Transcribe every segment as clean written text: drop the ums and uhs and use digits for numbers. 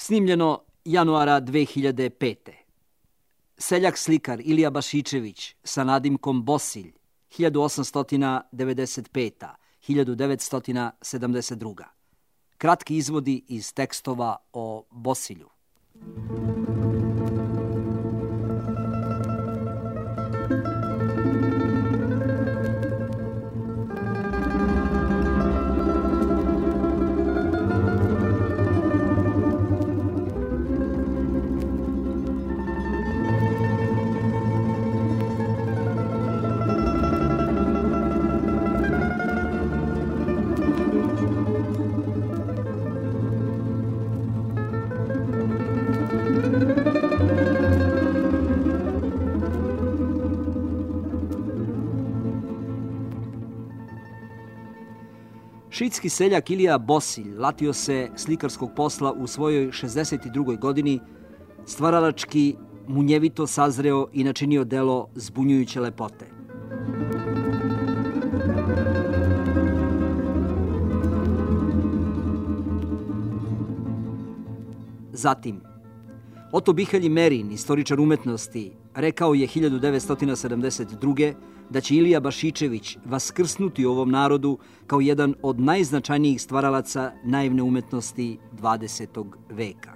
Snimljeno januara 2005. Seljak slikar Ilija Bašičević sa nadimkom Bosilj 1895-1972. Kratki izvodi iz tekstova o Bosilju. Šidski seljak Ilija Bosilj latio se slikarskog posla u svojoj 62. godini, stvaralački munjevito sazreo i načinio delo zbunjujuće lepote. Zatim, Oto Bihelj Merin, istoričar umetnosti, rekao je 1972. da će Ilija Bašičević vaskrsnuti u ovom narodu kao jedan od najznačajnijih stvaralaca naivne umetnosti 20. veka.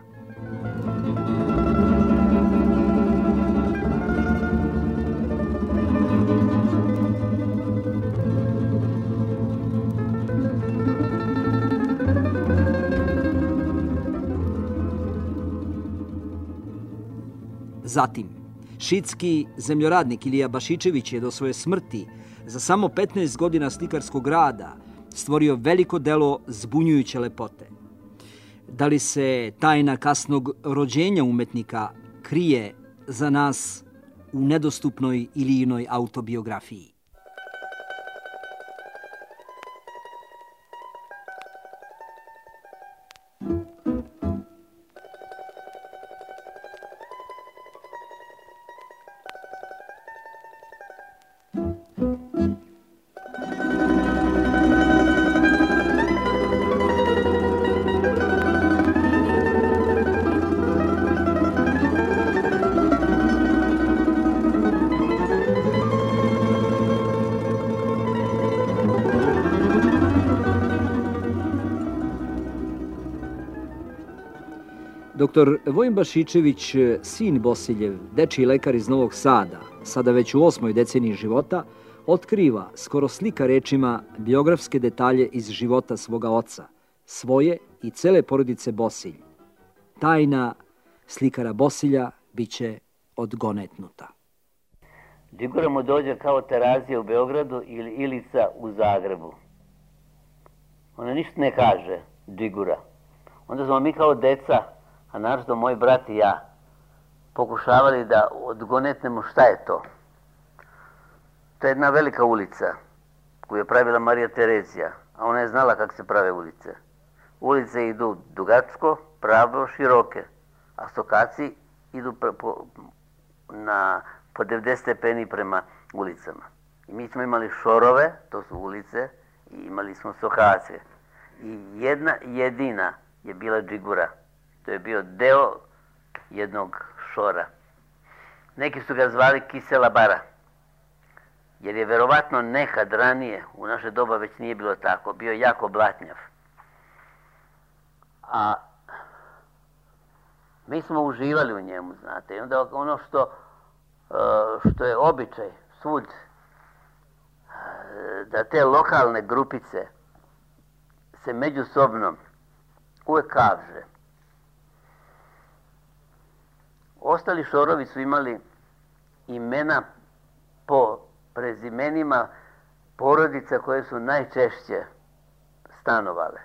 Zatim, šidski zemljoradnik Ilija Bašičević je do svoje smrti za samo 15 godina slikarskog rada stvorio veliko delo zbunjujuće lepote. Da li se tajna kasnog rođenja umetnika krije za nas u nedostupnoj Ilijinoj autobiografiji? Dr. Vojin Bašičević, sin Bosiljev, dečiji lekar iz Novog Sada, sada već u 8. deceniji života, otkriva, skoro slika rečima, biografske detalje iz života svoga oca, svoje i cele porodice Bosilj. Tajna slikara Bosilja biće odgonetnuta. Digura mu dođe kao Terazija u Beogradu ili Ilica u Zagrebu. Ona ništa ne kaže, Digura. Onda smo mi kao deca, a naravno moj brat i ja, pokušavali da odgonetnemo šta je to. To je jedna velika ulica koju je pravila Marija Terezija, a ona je znala kako se prave ulice. Ulice idu dugačko, pravo, široke, a stokaci idu po 90 stepeni prema ulicama. I mi smo imali šorove, to su ulice, i imali smo stokace. I jedna jedina je bila džigura. To je bio deo jednog šora. Neki su ga zvali Kisela bara, jer je verovatno nekad ranije, u naše doba već nije bilo tako, bio jako blatnjav. A mi smo uživali u njemu, znate. I onda ono što je običaj svud, da te lokalne grupice se međusobno uvek kavže. Ostali šorovi su imali imena po prezimenima porodica koje su najčešće stanovale.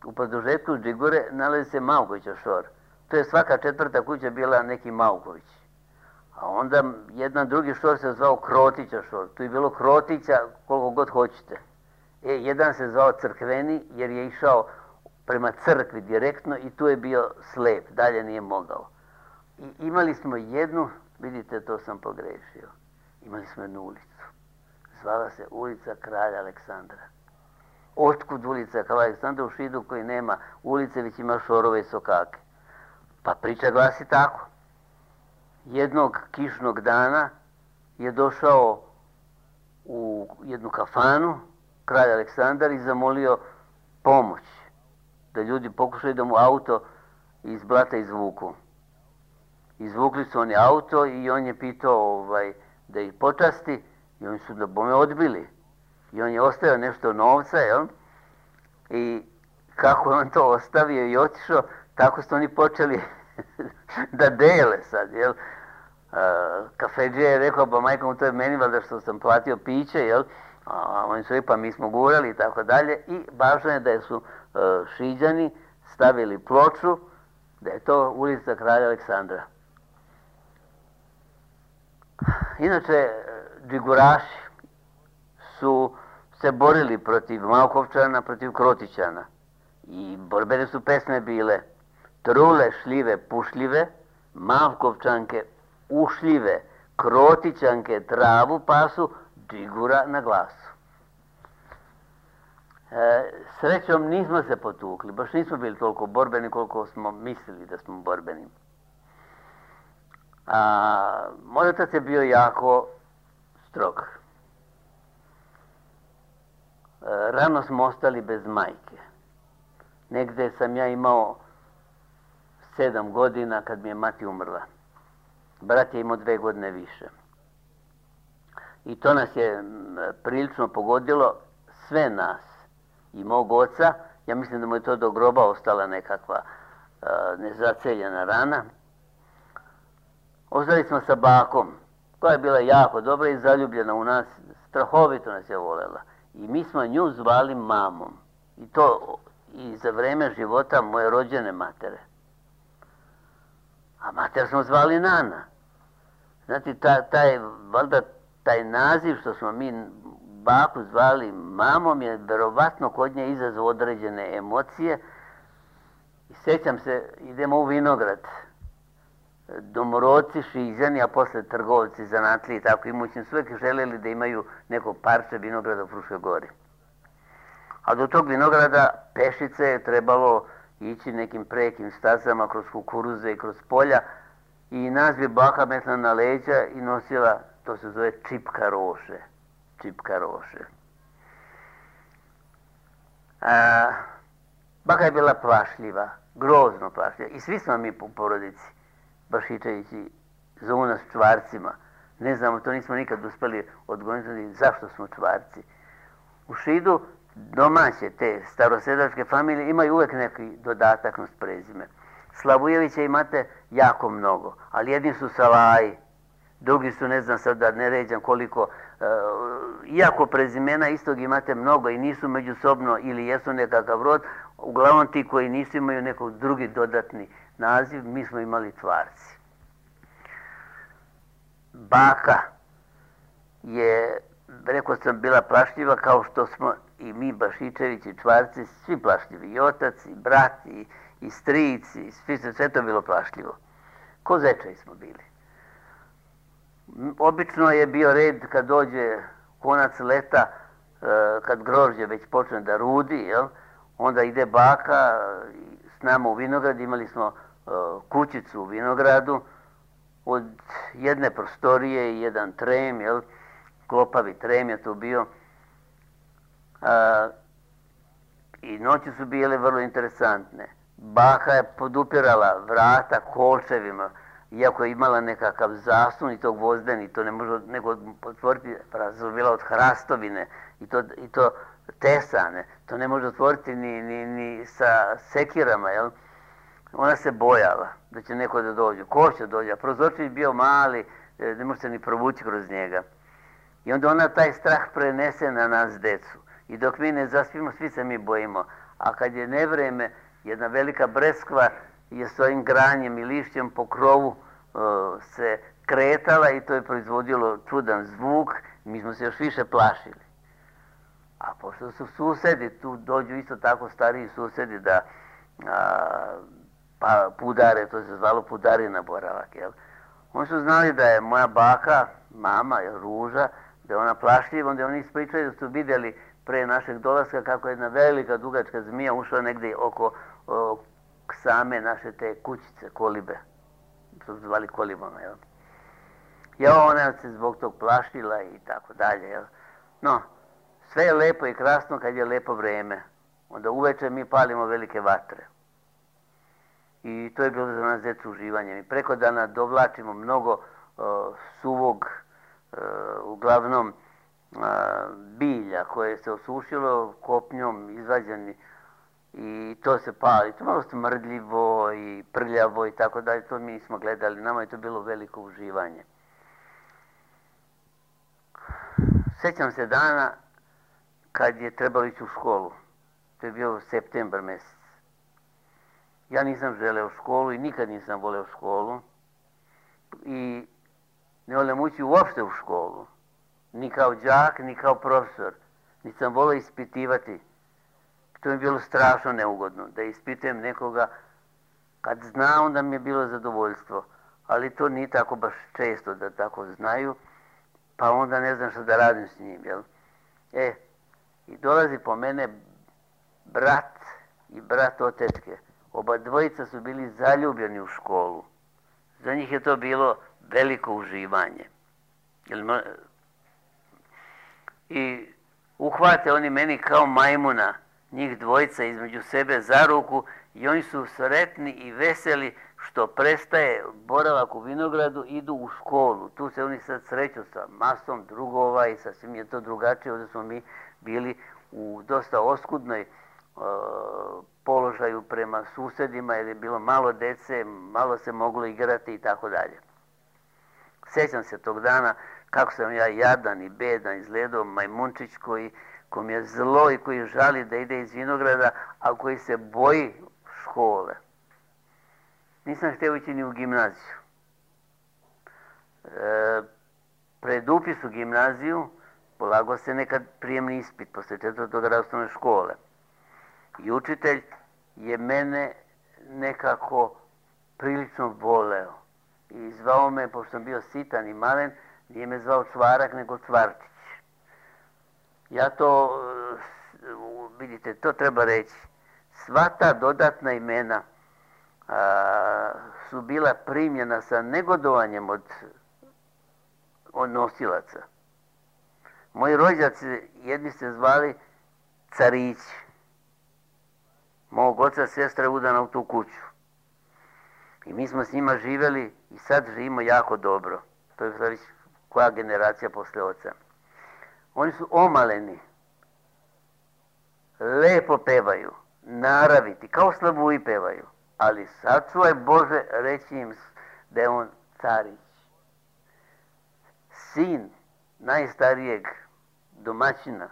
U produžetku džigure nalazi se Maukovićev šor. To je svaka 4. kuća bila neki Mauković. A onda jedan drugi šor se zvao Krotića šor. Tu je bilo Krotića koliko god hoćete. Jedan se zvao Crkveni jer je išao prema crkvi direktno i tu je bio slep, dalje nije mogao. I imali smo jednu, vidite, to sam pogrešio, imali smo jednu ulicu. Zvala se ulica Kralja Aleksandra. Otkud ulica kao Aleksandra u Šidu koji nema ulice, već ima šorove i sokake? Pa priča glasi tako. Jednog kišnog dana je došao u jednu kafanu kralj Aleksandar i zamolio pomoć, da ljudi pokušaju da mu auto iz blata izvuku. Izvukli su oni auto i on je pitao da ih počasti i oni su da bome odbili. I on je ostavio nešto novca, jel? I kako je on to ostavio i otišao, tako su oni počeli da dele sad, jel? Kafedžija je rekao, pa majko mu to je meni valjda što sam platio piće, jel? A oni su rekli, pa mi smo gurali i tako dalje. I važno je da su Šiđani stavili ploču, da je to ulica kralja Aleksandra. Inače, džiguraši su se borili protiv Malkovčana, protiv Krotićana. I borbene su pesme bile Trule šljive pušljive, Malkovčanke ušljive, Krotićanke travu pasu, džigura na glasu. Srećom nismo se potukli, baš nismo bili toliko borbeni koliko smo mislili da smo borbeni. Moj otac je bio jako strog. Rano smo ostali bez majke. Negde sam ja imao 7 godina kad mi je mati umrla. Brat je imao 2 godine više. I to nas je prilično pogodilo, sve nas. I mog oca, ja mislim da mu je to do groba ostala nekakva nezaceljena rana. Ostali smo sa bakom, koja je bila jako dobra i zaljubljena u nas, strahovito nas je volela. I mi smo nju zvali mamom. I to i za vreme života moje rođene matere. A mater smo zvali Nana. Znate, taj naziv što smo mi baku zvali mamom je verovatno kod nje izazvao određene emocije. I sjećam se, idemo u vinograd. Domorodci, Šiđani, a posle trgovci, zanatliji i tako imućni su uvijek željeli da imaju neko parče vinograda u Fruškoj gori. A do tog vinograda pešice je trebalo ići nekim prekim stazama kroz kukuruze i kroz polja i nas bi baka metla na leđa i nosila, to se zove čipka roše. Čipka roše. Baka je bila plašljiva, grozno plašljiva i svi smo mi u porodici. Bašičevići zovu nas čvarcima. Ne znamo, to nismo nikad uspeli odgovoriti zašto smo čvarci. U Šidu domaće te starosedačke familije imaju uvek neki dodatak na prezime. Slavujevića imate jako mnogo, ali jedni su Salaji, drugi su, ne znam sad da ne ređam koliko, iako prezimena istog imate mnogo i nisu međusobno ili jesu nekakav rod, uglavnom ti koji nisu imaju nekog drugi dodatni naziv, mi smo imali čvarci. Baka je, rekao sam, bila plašljiva kao što smo i mi Bašičevići čvarci, svi plašljivi, i otac, i brat, i stric, i sve to bilo plašljivo. Ko zečevi smo bili. Obično je bio red kad dođe konac leta, kad grožđe već počne da rudi, jel? Onda ide baka s nama u vinograd, imali smo kućicu u vinogradu, od jedne prostorije i jedan trem, jel? Klopavi trem je to bio. I noći su bile vrlo interesantne. Baka je podupirala vrata kolčevima, iako je imala nekakav zaslon i to gvozdeni, to ne može neko otvoriti, su bila od hrastovine i to tesane, to ne može otvoriti ni sa sekirama, jel? Ona se bojala da će neko da dođe. Ko će dođe? A prozorčić je bio mali, ne može se ni provući kroz njega. I onda ona taj strah prenese na nas, decu. I dok mi ne zaspimo, svi se mi bojimo. A kad je nevreme, jedna velika breskva je svojim granjem i lišćem po krovu se kretala i to je proizvodilo čudan zvuk. Mi smo se još više plašili. A pošto su susedi, tu dođu isto tako stariji susedi da pa pudare, to se zvalo pudarina boravak, jel? Oni su znali da je moja baka, mama, Ruža, da je ona plašljiva, onda oni ispričaju da su vidjeli pre našeg dolaska, kako je jedna velika dugačka zmija ušla negdje oko same naše te kućice, kolibe. To su zvali kolibama, jel? Ona se zbog tog plašila i tako dalje, jel? No, sve je lepo i krasno kad je lepo vreme. Onda uveče mi palimo velike vatre. I to je bilo za nas djecu uživanje. Mi preko dana dovlačimo mnogo suvog, uglavnom bilja koje se osušilo kopnjom, izvađeni, i to se pali. To je malo smrdljivo i prljavo i tako dalje. To mi nismo gledali. Nama je to bilo veliko uživanje. Sjećam se dana kad je trebalo ići u školu. To je bio septembar mjesec. Ja nisam želeo školu i nikad nisam voleo školu. I ne volim ući uopšte u školu. Ni kao đak, ni kao profesor. Nisam volio ispitivati. To mi je bilo strašno neugodno. Da ispitujem nekoga. Kad zna, onda mi je bilo zadovoljstvo. Ali to nije tako baš često da tako znaju. Pa onda ne znam što da radim s njim, jel? I dolazi po mene brat i brat od tetke. Oba dvojica su bili zaljubljeni u školu. Za njih je to bilo veliko uživanje. I uhvate oni meni kao majmuna, njih dvojica između sebe za ruku, i oni su sretni i veseli što prestaje boravak u vinogradu, idu u školu. Tu se oni sad sreću sa masom drugova i sasvim je to drugačije. Ovdje smo mi bili u dosta oskudnoj položaju prema susjedima, jer je bilo malo dece, malo se moglo igrati i tako dalje. Sjećam se tog dana kako sam ja jadan i bedan izgledao, majmunčić koji mi je zlo i koji žali da ide iz vinograda, a koji se boji škole. Nisam htio ići ni u gimnaziju. Pred upis u gimnaziju polagao se nekad prijemni ispit posle 4. razreda osnovne škole. I učitelj je mene nekako prilično voleo. I zvao me, pošto sam bio sitan i malen, nije me zvao Čvarak, nego Čvartić. Ja to, vidite, to treba reći. Sva ta dodatna imena su bila primljena sa negodovanjem od nosilaca. Moji rođaci, jedni se zvali Carići. Mog oca sestra je udana u tu kuću. I mi smo s njima živjeli i sad živimo jako dobro. To je već koja generacija posle oca. Oni su omaleni. Lepo pevaju. Naraviti. Kao slavuji pevaju. Ali sačuvaj Bože reći im da je on Carić. Sin najstarijeg domaćina,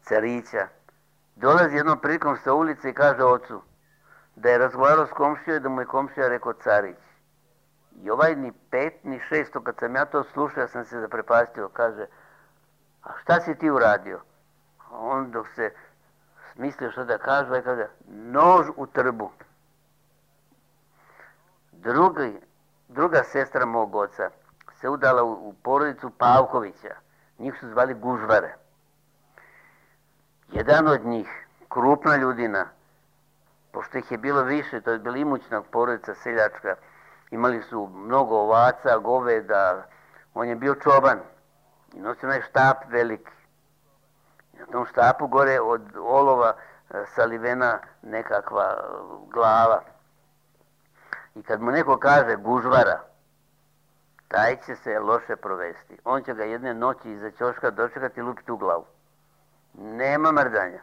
Carića, dolazi jednom prilikom sa ulice i kaže ocu da je razgovarao s komšijom i da mu je komšija rekao Carić. I ovaj ni 5 ni 6, kad sam ja to slušao, ja sam se zaprepastio, kaže, a šta si ti uradio? A on dok se mislio što da kaže, kaže, nož u trbu. Druga sestra mog oca se udala u porodicu Pavkovića. Njih su zvali Gužvare. Jedan od njih, krupna ljudina, pošto ih je bilo više, to je bila imućna porodica seljačka, imali su mnogo ovaca, goveda, on je bio čoban i nosio onaj štap veliki. I na tom štapu gore od olova salivena nekakva glava. I kad mu neko kaže Gužvara, taj će se loše provesti. On će ga jedne noći iza ćoška dočekati i lupiti u glavu. Nema mrdanja.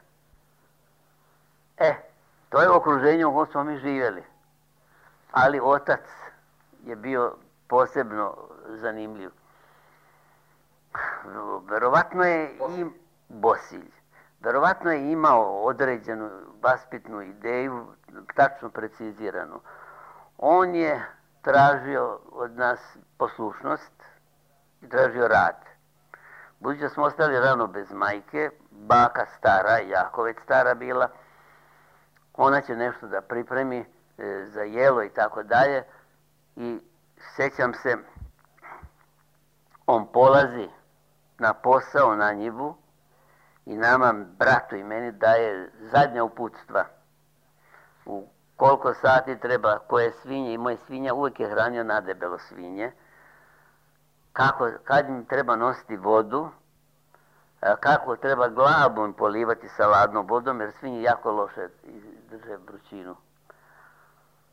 To je okruženje u kojem smo mi živjeli. Ali otac je bio posebno zanimljiv. Verovatno je i Bosilj. Verovatno je imao određenu vaspitnu ideju, tačno preciziranu. On je tražio od nas poslušnost i tražio rad. Budući da smo ostali rano bez majke, baka stara, jako već stara bila, ona će nešto da pripremi za jelo i tako dalje. I sjećam se, on polazi na posao na njivu i nama, bratu i meni, daje zadnja uputstva. U koliko sati treba koje svinje, i moje svinja uvijek je hranio nadebelo svinje, kad im treba nositi vodu, kako treba glavu im polivati sa ladnom vodom, jer svinje jako loše drže vrućinu.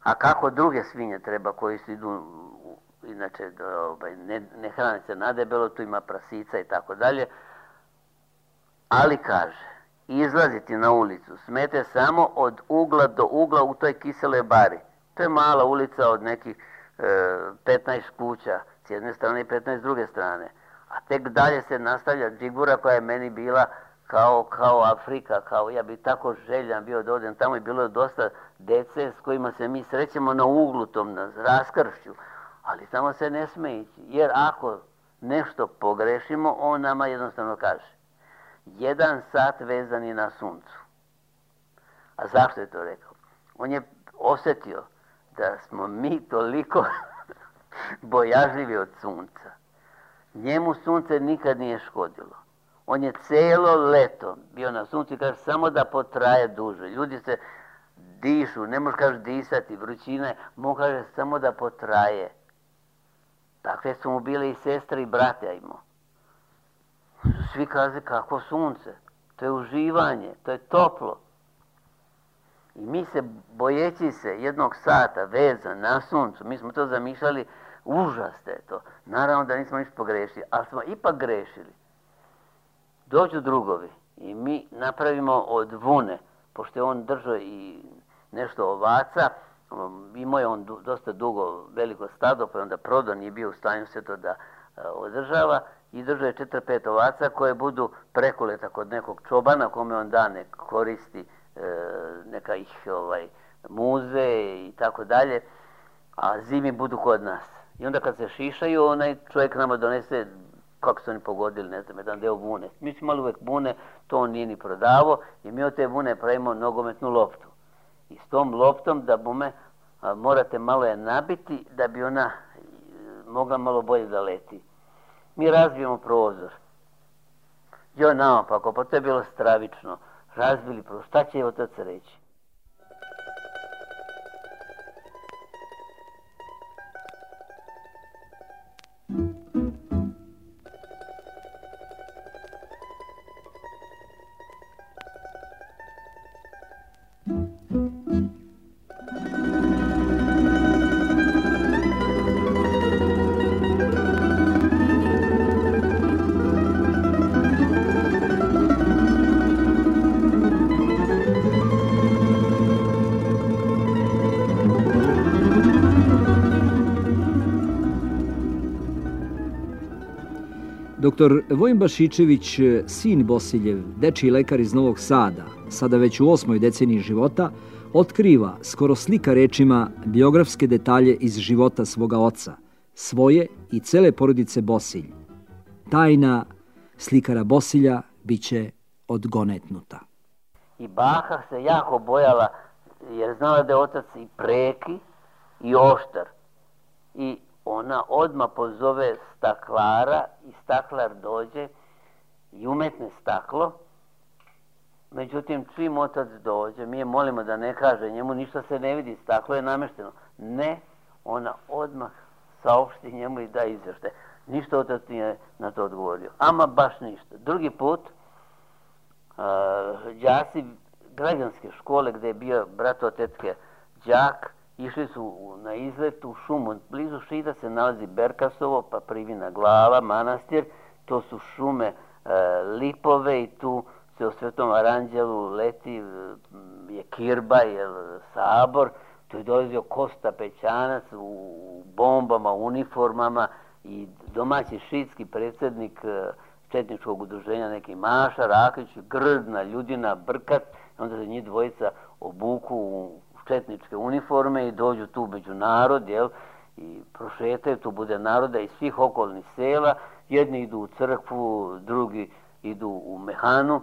A kako druge svinje treba koji su idu, inače ne hrane se nadebelo, tu ima prasica i tako dalje. Ali kaže, izlaziti na ulicu smete samo od ugla do ugla u toj kiseloj bari. To je mala ulica od nekih 15 kuća s jedne strane i 15 s druge strane. A tek dalje se nastavlja Džigura koja je meni bila kao Afrika, kao ja bi tako željan bio da odem tamo i bilo je dosta dece s kojima se mi srećemo na uglu tom, na raskršću. Ali tamo se ne sme ići, jer ako nešto pogrešimo, on nama jednostavno kaže 1 sat vezani na suncu. A zašto je to rekao? On je osjetio da smo mi toliko bojažljivi od sunca. Njemu sunce nikad nije škodilo. On je cijelo leto bio na suncu i kaže samo da potraje duže. Ljudi se dišu, ne može kaže disati, vrućina je, mu kaže samo da potraje. Takve su mu bile i sestre i brate imao. Svi kaže kako sunce, to je uživanje, to je toplo. I mi se, bojeći se 1 sata vezan na suncu, mi smo to zamišljali, užas je to. Naravno da nismo ništa pogrešili, ali smo ipak grešili. Dođu drugovi i mi napravimo od vune, pošto je on držao i nešto ovaca, imao je on dosta dugo veliko stado, pa je onda prodao, nije bio u stanju sve to da održava, i držao je 4-5 ovaca koje budu prekoleta kod nekog čobana kome on da ne koristi, neka ih muze i tako dalje, a zimi budu kod nas. I onda kad se šišaju, onaj čovjek nama donese, kako su oni pogodili, ne znam, jedan deo vune. Mi smo imali uvijek vune, to on nije ni prodavo i mi od te vune pravimo nogometnu loptu. I s tom loptom da bume morate malo je nabiti da bi ona mogla malo bolje da leti. Mi razbijemo prozor. Joj naopako, pa to je bilo stravično. Razbili prozor. Šta će otac reći? Dr. Vojin Bašičević, sin Bosiljev, dečiji lekar iz Novog Sada, sada već u 8. deceniji života, otkriva, skoro slika rečima, biografske detalje iz života svoga oca, svoje i cele porodice Bosilj. Tajna slikara Bosilja biće odgonetnuta. I baka se jako bojala, jer znala da je otac i preki i oštar. I ona odmah pozove staklara i staklar dođe i umetne staklo. Međutim, čim otac dođe, mi je molimo da ne kaže, njemu ništa se ne vidi, staklo je namešteno. Ne, ona odmah saopšti njemu i da izvještaj. Ništa otac nije na to odgovorio. Ama baš ništa. Drugi put, đaci građanske škole gdje je bio brat od tetke đak, išli su na izlet u šumu. Blizu Šida se nalazi Berkasovo, pa Privina glava, manastir. To su šume lipove i tu se o Svetom Aranđelu leti je kirba, je sabor. Tu je dolazio Kosta Pećanac u bombama, uniformama i domaći šidski predsjednik četničkog udruženja, neki Maša Rakić, grdna ljudina, brkat. Onda se njih dvojica obuku u četničke uniforme i dođu tu među narod, jel, i prošetaju, tu bude naroda iz svih okolnih sela. Jedni idu u crkvu, drugi idu u mehanu,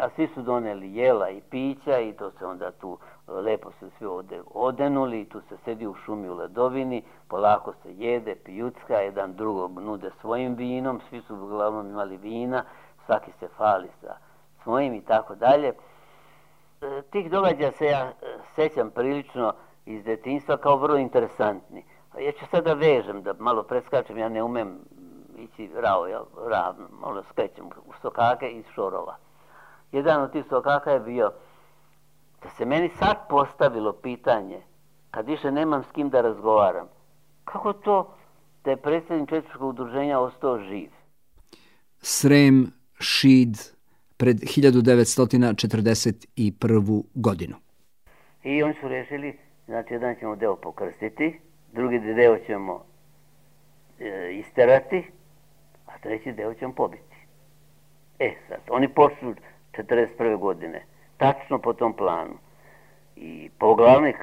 a svi su doneli jela i pića i to se onda tu lepo se svi odenuli, tu se sedi u šumi u ledovini, polako se jede, pijucka, jedan drugog nude svojim vinom, svi su uglavnom imali vina, svaki se fali sa svojim i tako dalje. Tih događaja se ja sećam prilično iz detinjstva kao vrlo interesantni. Ja ću sada vežem, da malo preskačem, ja ne umem ići ravno, malo skrećem u sokake iz šorova. Jedan od tih sokaka je bio da se meni sad postavilo pitanje, kad više nemam s kim da razgovaram, kako to da je predsjednik četničkog udruženja ostao živ? Srem, Šid, pred 1941. godinu. I oni su rešili, znači jedan ćemo deo pokrstiti, drugi deo ćemo isterati, a treći deo ćemo pobiti. Sad, oni počnu 1941. godine, tačno po tom planu. I poglavnik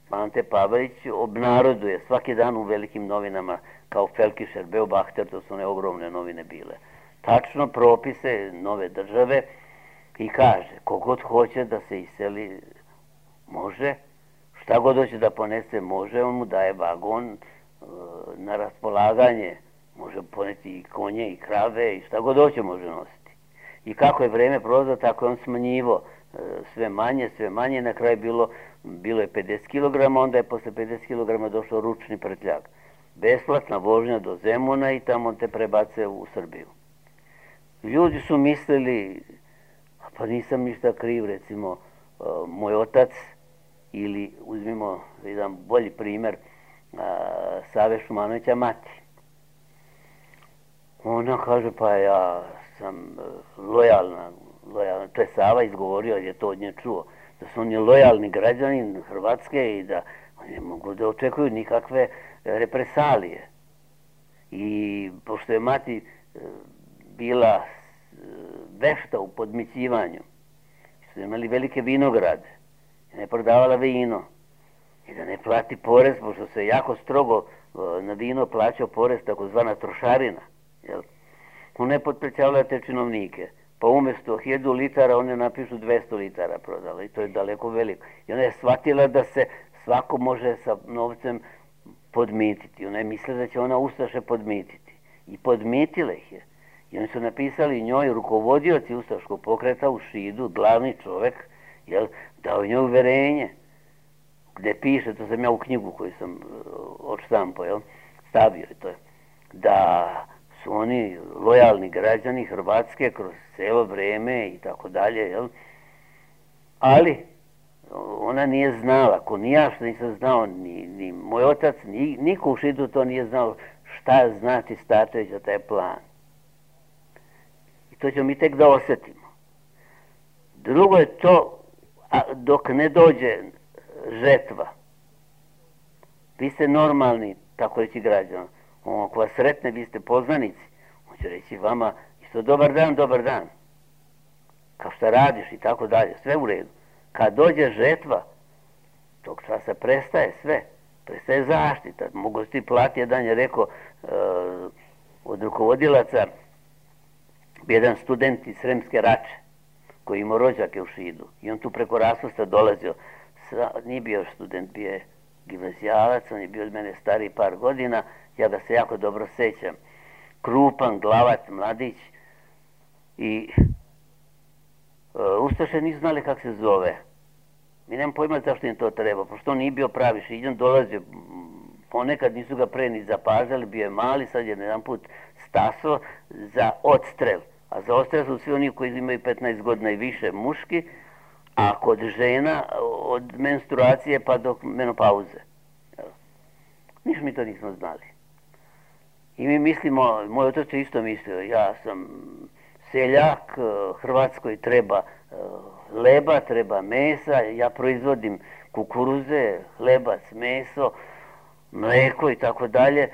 Ante Pavelić obnaroduje svaki dan u velikim novinama, kao Felkišer, Beobachter, to su one ogromne novine bile, tačno propise nove države i kaže, kogod hoće da se iseli, može, šta god hoće da ponese, može, on mu daje vagon na raspolaganje, može poneti i konje i krave i šta god hoće može nositi. I kako je vreme prolazilo, tako je on smanjivo sve manje, na kraju bilo je 50 kg, onda je posle 50 kg došao ručni prtljak. Besplatna vožnja do Zemuna i tamo te prebace u Srbiju. Ljudi su mislili, pa nisam ništa kriv, recimo, moj otac, ili uzmimo jedan bolji primer, Save Šumanovića mati. Ona kaže, pa ja sam lojalna, to je Sava izgovorio, jer je to od nje čuo, da su oni lojalni građani Hrvatske i da ne mogu da očekuju nikakve represalije. I pošto je mati bila vešta u podmićivanju, su imali velike vinograde, ne prodavala vino i da ne plati porez, pošto se jako strogo na vino plaćao porez, takozvana trošarina. Ona je potprećavala te činovnike, pa umjesto 1000 litara one napišu 200 litara prodala i to je daleko veliko. I ona je shvatila da se svako može sa novcem podmititi. Ona je mislila da će ona ustaše podmititi. I podmitila ih je. I oni su napisali njoj, rukovodioci ustaškog pokreta u Šidu, glavni čovek, dao njoj uverenje, gde piše, to sam ja u knjigu koju sam odštampao, stavio je to, da su oni lojalni građani Hrvatske kroz celo vreme i tako dalje, ali ona nije znala, ko ni ja što nisam znao, ni moj otac, niko u Šidu to nije znao šta znači Starčević za taj plan. I to ćemo mi tek da osetimo. Drugo je to, dok ne dođe žetva, vi ste normalni, tako reći građana, ako vas sretne, vi ste poznanici, on će reći vama isto dobar dan, kao šta radiš i tako dalje, sve u redu. Kad dođe žetva, tog časa prestaje sve, prestaje zaštita, mogu ti plati, jedan je rekao od rukovodilaca, jedan student iz Sremske Rače, koji imao rođake u Šidu, i on tu preko Raspusta dolazio, nije bio student, bio je gimnazijalac, on je bio od mene stariji par godina, ja ga se jako dobro sećam, krupan, glavac, mladić, i ustaše nisu znali kako se zove. Mi nemam pojma zašto im to treba, pošto on nije bio pravi Šiđan, dolazio, ponekad nisu ga pre ni zapažali, bio je mali, sad je jedan put stasao za odstrel, a za odstrel su svi oni koji imaju 15 godina i više muški, a kod žena od menstruacije pa do menopauze. Niš mi to nismo znali. I mi mislimo, moj otac je isto mislio, ja sam seljak, Hrvatskoj treba leba, treba mesa, ja proizvodim kukuruze, lebac, meso, mleko i tako dalje.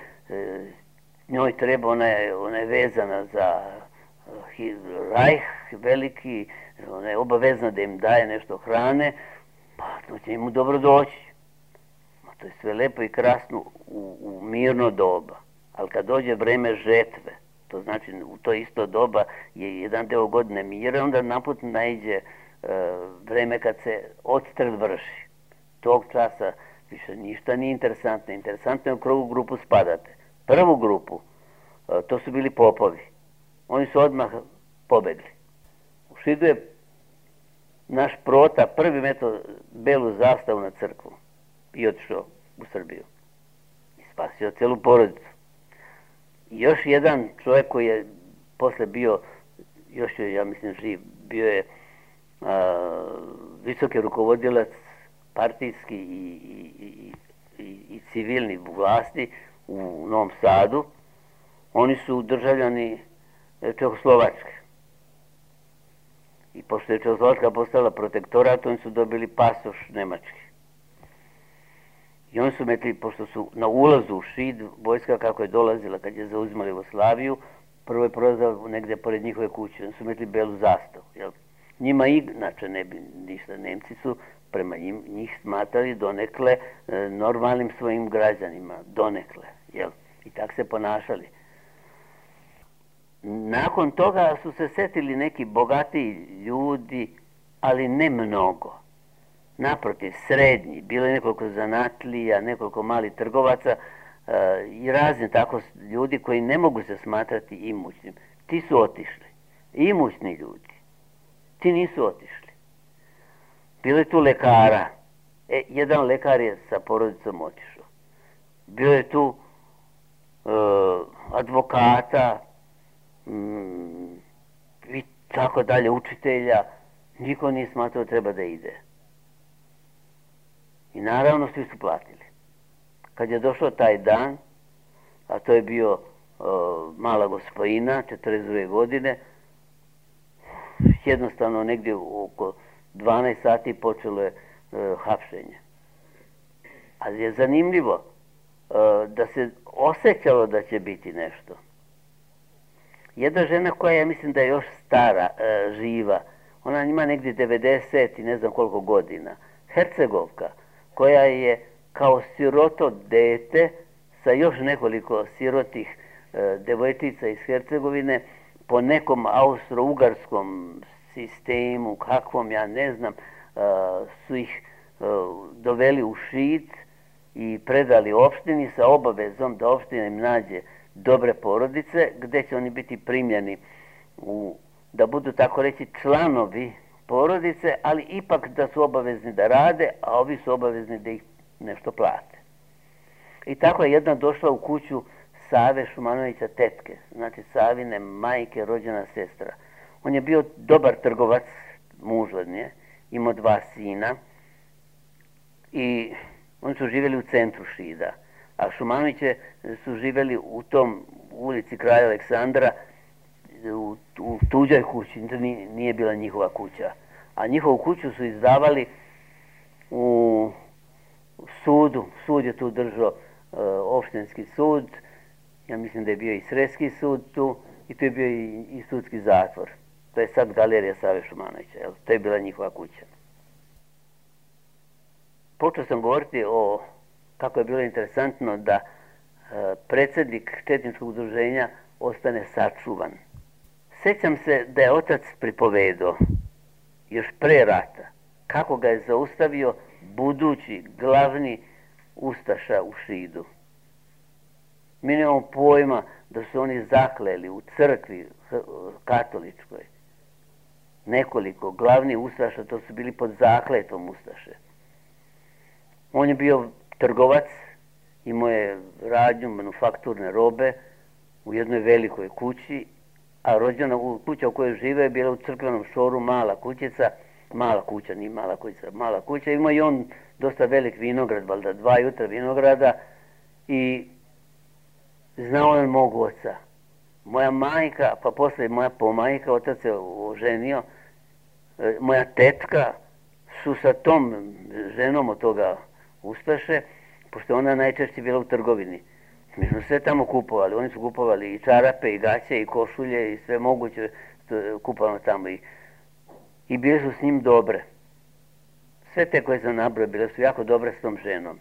Njoj treba, ona je vezana za Rajh veliki, ona je obavezna da im daje nešto hrane, pa to će im dobro doći. To je sve lepo i krasno u mirno doba. Ali kad dođe vreme žetve, to znači u to isto doba je jedan deo godine mira, onda naput naiđe vreme kad se odstrel vrši. Tog časa više ništa nije interesantno. Interesantno je u koju grupu spadate. Prvu grupu, to su bili popovi. Oni su odmah pobegli. U Šidu je naš Prota prvi meto belu zastavu na crkvu i otišao u Srbiju. I spasio celu porodicu. I još jedan čovjek koji je posle bio, još je, ja mislim, živ, bio je visoki rukovodilac partijski i civilni vlasti u Novom Sadu. Oni su državljani Čehoslovačke. I pošto je Čehoslovačka postala protektorat, oni su dobili pasoš nemački. I oni su metli, pošto su na ulazu u Šid, vojska kako je dolazila kad je zauzimala Jugoslaviju, prvo je prolazila negdje pored njihove kuće, oni su metli belu zastavu. Jel? Njima inače ne bi ništa, Nemci su prema njih smatrali donekle normalnim svojim građanima, donekle. Jel? I tak se ponašali. Nakon toga su se setili neki bogatiji ljudi, ali ne mnogo. Naprotiv, srednji, bilo je nekoliko zanatlija, nekoliko malih trgovaca i razni tako ljudi koji ne mogu se smatrati imućnim. Ti su otišli. Imućni ljudi. Ti nisu otišli. Bilo je tu lekara. Jedan lekar je sa porodicom otišao. Bilo je tu advokata i tako dalje, učitelja. Niko nije smatrao treba da ide. I naravno svi su platili. Kad je došao taj dan, a to je bio mala gospojina, 42 godine, jednostavno negdje oko 12 sati počelo je hapšenje. Ali je zanimljivo da se osjećalo da će biti nešto. Jedna žena koja ja mislim da je još stara, živa, ona ima negdje 90 i ne znam koliko godina, Hercegovka, koja je kao siroto dete sa još nekoliko sirotih devojčica iz Hercegovine po nekom austro-ugarskom sistemu, kakvom ja ne znam, su ih doveli u Šid i predali opštini sa obavezom da opština im nađe dobre porodice gdje će oni biti primljeni da budu tako reći članovi porodice, ali ipak da su obavezni da rade, a ovi su obavezni da ih nešto plate. I tako je jedna došla u kuću Save Šumanovića tetke, znači Savine majke, rođena sestra. On je bio dobar trgovac, muž od nje, imao 2 sina i oni su živjeli u centru Šida. A Šumanoviće su živjeli u tom ulici Kralja Aleksandra, u tuđoj kući, nije bila njihova kuća. A njihovu kuću su izdavali u sudu. Sud je tu držao opštinski sud, ja mislim da je bio i Sreski sud tu i tu je bio i sudski zatvor. To je sad galerija Save Šumanovića, to je bila njihova kuća. Počeo sam govoriti o kako je bilo interesantno da predsjednik Četničkog udruženja ostane sačuvan. Sjećam se da je otac pripovedao, još pre rata, kako ga je zaustavio budući glavni ustaša u Šidu. Mi nemamo pojma da su oni zakleli u crkvi katoličkoj. Nekoliko glavnih ustaša, to su bili pod zakletvom ustaše. On je bio trgovac, imao je radnju manufakturne robe u jednoj velikoj kući, a rođena kuća u kojoj žive je bila u crkvenom šoru mala kućica, mala kuća, nije mala kućica, mala kuća. Imao i on dosta velik vinograd, valjda 2 jutra vinograda i znao je mog oca. Moja majka, pa poslije moja pomajka, otac se oženio, moja tetka su sa tom ženom od toga ustaše, pošto ona najčešće bila u trgovini. Mi smo sve tamo kupovali, oni su kupovali i čarape, i gaće, i košulje, i sve moguće kupovano tamo. I bile su s njim dobre. Sve te koje sam nabrojao bile su jako dobre s tom ženom.